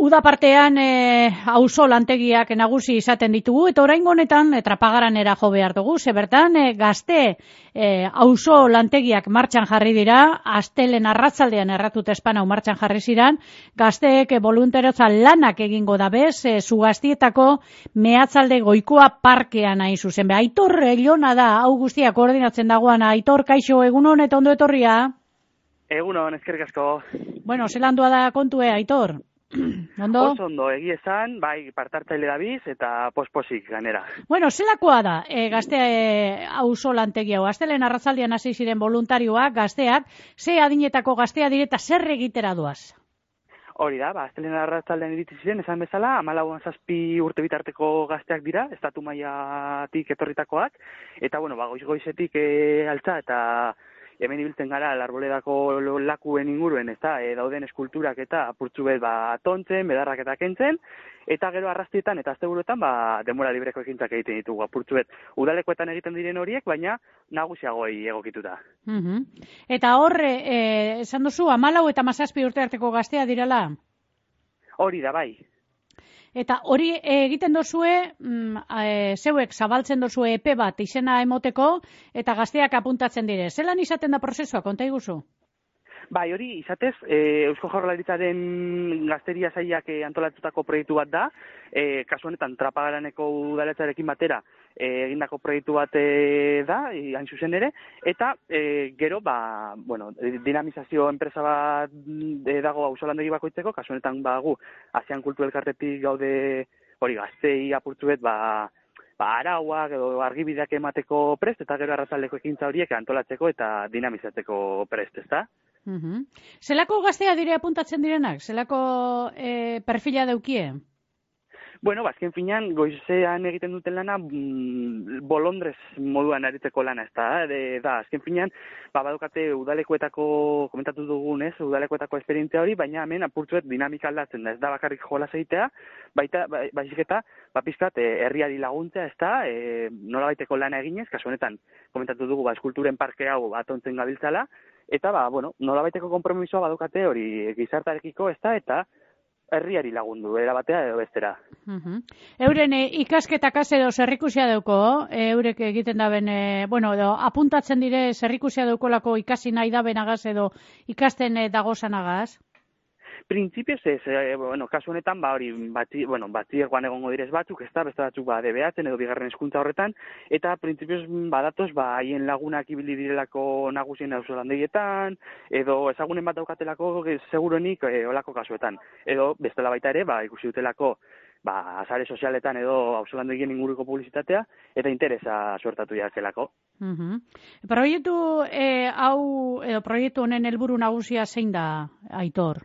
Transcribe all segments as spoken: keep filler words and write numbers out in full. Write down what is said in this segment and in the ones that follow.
uda partean e, auzo lantegiak nagusi izaten ditugu, eta oraingo honetan e, Trapagaranera jo behar dugu, ze bertan e, gazte e, auzo lantegiak martxan jarri dira, astelen arratzaldean erratut espanau martxan jarri ziran, gazteek e, voluntarioza lanak egingo da bez, e, Zugaztietako mehatzalde goikoa parkean hain zuzen. Be, Aitor Elona da, hau guztia koordinatzen dagoana. Aitor, kaixo, egunon eta ondo etorria? Egunon, eskerrik asko. Bueno, zelandua da kontue, Aitor? Ondo? Oso ondo, egi esan, bai, partartzaile dabiz eta posposik ganera. Bueno, zelakoa da, e, gazte e, auzo lantegi hau, astelen arratzaldian hasi ziren voluntarioak, gazteak, ze adinetako gaztea direta zer egitera doaz? Hori da, ba, astelen arratzaldean iritsi ziren, esan bezala, hamalauan zazpi urte bitarteko gazteak dira, estatu mailatik etorritakoak, eta, bueno, ba, goiz-goizetik e, altza eta hemen ibiltzen gara Arboledako lakuen inguruen, ezta, e, dauden eskulturak eta apurtzu bet ba tontzen, bedarrak eta kentzen, eta gero arrastietan eta asteburuetan ba denbora libreko ekintzak egiten ditugu apurtzu bet. Udalekoetan egiten diren horiek, baina nagusiagoi egokituta. Uh-huh. Eta hor, e, esan duzu, hamalau eta hamazazpi urte arteko gaztea dirala? Hori da, bai. Eta hori egiten dozue, mm, e, zeuek zabaltzen dozue epe bat izena emoteko, eta gazteak apuntatzen dire. Zelan izaten da prozesua, konta iguzu? Bai, hori izatez, e, Eusko Jaurlaritzaren gazteria sailak e, antolatutako proiektu bat da, e, kasu honetan Trapagaraneko udaletxarekin batera e, egindako proiektu bat e, da, e, hain zuzen ere, eta e, gero, ba, bueno, dinamizazio enpresa bat e, dago auzolandegi bakoitzeko, kasu honetan ba, gu, Asian Kultu Elkartetik gaude hori gaztei apurtzuet, ba, ba, arauak edo argibideak emateko prest, eta gero arratzaldeko ekintza horiek antolatzeko eta dinamizatzeko prest, ezta? Uh-huh. Zelako gaztea dire apuntatzen direnak? Zelako e, perfila daukie? Bueno, bazken finean, goizean egiten duten lana, mm, bolondrez moduan aritzeko lana, ez da, de, da, azken finean, ba, badukate udalekoetako, komentatu dugunez, udalekoetako esperientzia hori, baina hemen apurtzuet dinamika aldatzen da, ez da bakarrik jolas egitea, baita, ba, baizik eta, ba, pizkat, e, herriari laguntzea, ez da, e, nola baiteko lana eginez, kasu honetan, komentatu dugu, ba, eskulturen parke hau atontzen gabiltzala, eta, ba, bueno, nola baiteko konpromisoa badukate hori gizartarekiko, ez da, eta, herriari lagundu, era batea edo bestera. Uh-huh. Euren e, ikasketakaz edo zerrikusia dauko, e, eurek egiten daben, e, bueno, edo apuntatzen dire zerrikusia daukolako ikasi nahi dabenagaz edo ikasten e, dagozanagaz? Printzipioz ez, e, bueno, kasu honetan, ba hori, bati, bueno, batiegoan egongo direz batzuk, ez da, beste batzuk ba D B Atzen edo bigarren hezkuntza horretan, eta printzipioz badatoz, ba haien lagunak ibili direlako nagusien auzolandegietan, edo ezagunen bat daukatelako seguruenik e, olako kasuetan. Edo bestela baita ere, ba ikusi dutelako ba sare sozialetan edo auzolandegien inguruko publizitatea eta interesa suertatu jakelako. Uh-huh. Proiektu e, hau edo proiektu honen helburu nagusia zein da, Aitor?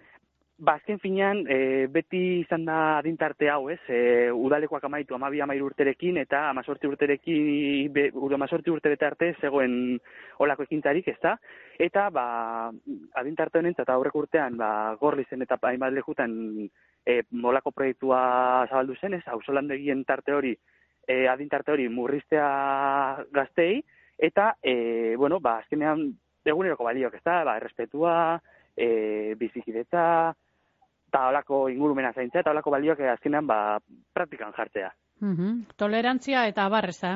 Ba, azken finean, e, beti izan da adintarte hau, ez? E, udalekoak amaitu amabi amairu urterekin eta amazortzi urterekin, be, amazortzi urte bete arte zegoen olako ekintzarik, ez da? Eta, ba, adintarte honentzat aurreko urtean, ba, Gorlizen eta hainbat lekutan e, olako proiektua zabaldu zen, ez? Auzolandegien tarte hori, e, adintarte hori murriztea gaztei, eta, e, bueno, ba, azkenean eguneroko balioak, ez da? Ba, errespetua, e, bizikidetza, eta holako ingurumena zaintzea, eta holako balioak azkenean ba, praktikan jartzea. Uh-huh. Tolerantzia eta abar, ez da?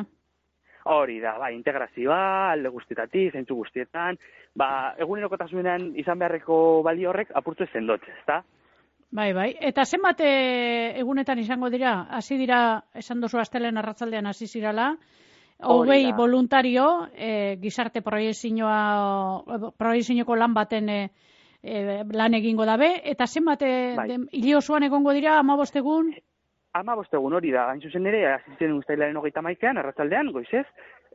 Hori da, ba, integrazioa, alde guztietatik, zeintzu guztietan, ba, egunerokotasunean izan beharreko balio horrek apurtu zendotze, ez da? Bai, bai. Eta zenbat egunetan izango dira? Hasi dira, esan dozu astelen arratzaldean hasi zirala, hogei voluntario, e, gizarte proiezioa, proiezioko lan baten e, e, lan egingo dabe, eta zenbat bai. Hile osoan egongo dira, hamabost egun? hamabost egun hori da, hain zuzen ere, hasi zen uztailaren hogeita hamaikaan, arratzaldean, goizez,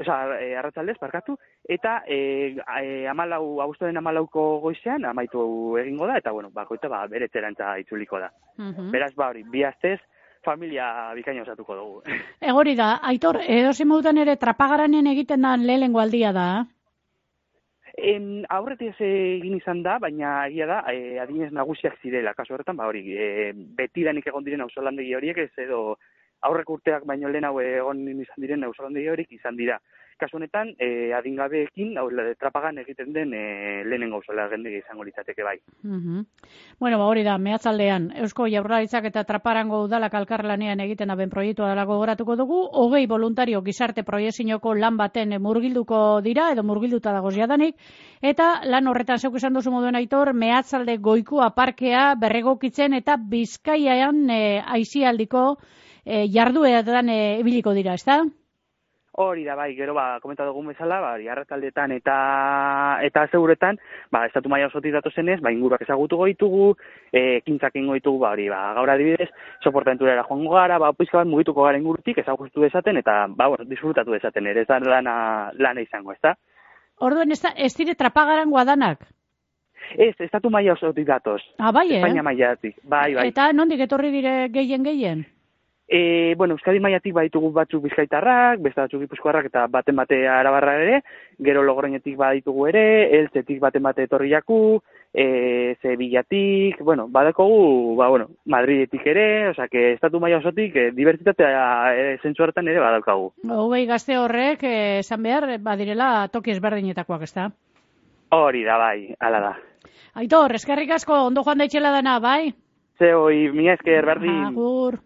oza, e, arratzaldez, parkatu, eta e, e, amalau, abuztuaren amalauko goizean, amaitu egingo da, eta, bueno, bakoita, ba, bere txerantza itzuliko da. Uh-huh. Beraz, ba, hori, bi astez, familia bikaina osatuko dugu. Egori da, Aitor, edozein modutan ere Trapagaranen egiten da lehenengo aldia da? Em, aurretik egin izan da, baina egia da, e, adinez nagusiak zirela, kasu horretan, ba hori, e, betidanik egon diren auzolandegi horiek, ez edo aurrek urteak baino lehen hau egon izan diren auzolandegi horiek izan dira. kasu honetan, e, adingabeekin, hau, trapagan egiten den e, lehenengo gauzala gendegi izango litzateke bai. Mm-hmm. Bueno, ba, hori da, mehatzaldean, Eusko Jaurlaritzak eta Traparango udalak elkarlanean egiten daben proiektua dela gogoratuko dugu, hogei voluntario gizarte proiekzioko lan baten murgilduko dira, edo murgilduta dagoz jadanik, eta lan horretan zeuk esan duzu moduen Aitor, mehatzalde goikua parkea berregokitzen eta Bizkaian e, aizialdiko e, jarduetan e, ibiliko dira, ezta? Hori da, bai, gero, ba, komenta dugun bezala, ba, arratsaldetan eta eta zeuretan, ba, estatu maila osotik datozenez, ba, inguruak ezagutuko ditugu, e, ekintzak ingo ditugu, ba, hori, ba, gaur adibidez, soportaventurera joango gara, ba, pizka bat mugituko gara ingurtik, ezagutu dezaten, eta, ba, bueno, disfrutatu dezaten, ere, ez da lana, lana izango, ez da? Orduen, ez, da, ez dire trapagarangoa danak? Ez, estatu maila osotik datoz. Ah, bai, eh? Espainia mailatik, bai, bai. Eta nondik etorri dire gehien-gehien? E, bueno, Euskadi mailatik baditugu batzuk bizkaitarrak, beste batzuk gipuzkoarrak eta baten bate arabarra ere, gero Logroñetik baditugu ere, Eltzetik baten bate etorriaku, e, Sevillatik, bueno, badakogu, ba, bueno, Madridetik ere, osea, que estatu maila osotik, e, dibertsitatea e, zentzu horretan ere badaukagu. Hogei gazte horrek, esan behar, badirela toki ezberdinetakoak, ezta? Hori da, bai, hala da. Aitor, eskerrik asko, ondo joan daitxela dana, bai? Ze hoi, mila esker, berdin. Agur.